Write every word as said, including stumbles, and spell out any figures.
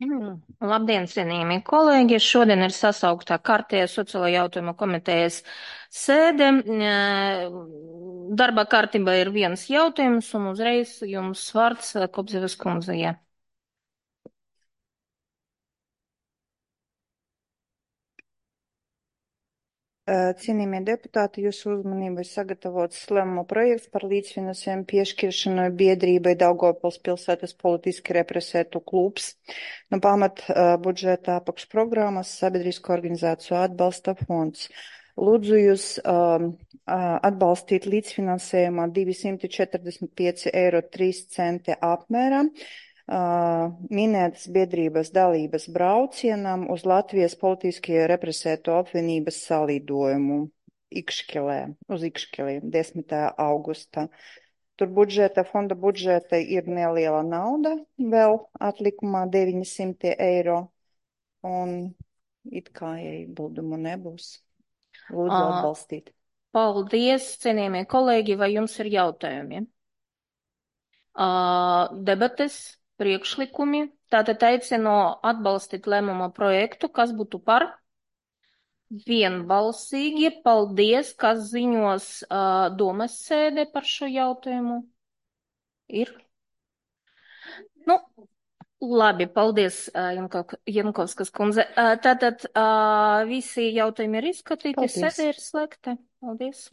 Mm. Labdien, cienījamie kolēģi! Šodien ir sasauktā kārtējā sociālo jautājumu komitejas sēde. Eh, Darba kārtībā ir viens jautājums, un uzreiz jums vārds eh, Kopzevas kundzei. Cienījamie deputāti, jūsu uzmanībai sagatavots lēmuma projekts par līdzfinansējumu piešķiršanu biedrībai Daugavpils pilsētas politiski represētu klubs no pamat uh, budžeta apakšprogrammas Sabiedrisko organizāciju atbalsta fonds. Lūdzu jūs um, uh, atbalstīt līdzfinansējumā divsimt četrdesmit pieci eiro trīs centi apmērā Uh, minētas biedrības dalības braucienam uz Latvijas politiski represēto apvienības salidojumu Ikšķelē, uz Ikšķelī, desmitā augusta. Tur budžeta, fonda budžeta ir neliela nauda, vēl atlikumā deviņsimt eiro, un it kā iebildumu nebūs. Lūdzu Uh, atbalstīt. Paldies, cienījamie kolēģi, vai jums ir jautājumi? Uh, debates, priekšlikumi. Tātad aicinu atbalstīt lēmuma projektu, kas būtu par vienbalsīgi. Paldies, kas ziņos uh, domas sēdē par šo jautājumu. Ir? Nu, labi, paldies, uh, Janko, Jankovskas kundze. Uh, tātad uh, visi jautājumi ir izskatīti, Paldies. sēdē ir slēgta. Paldies.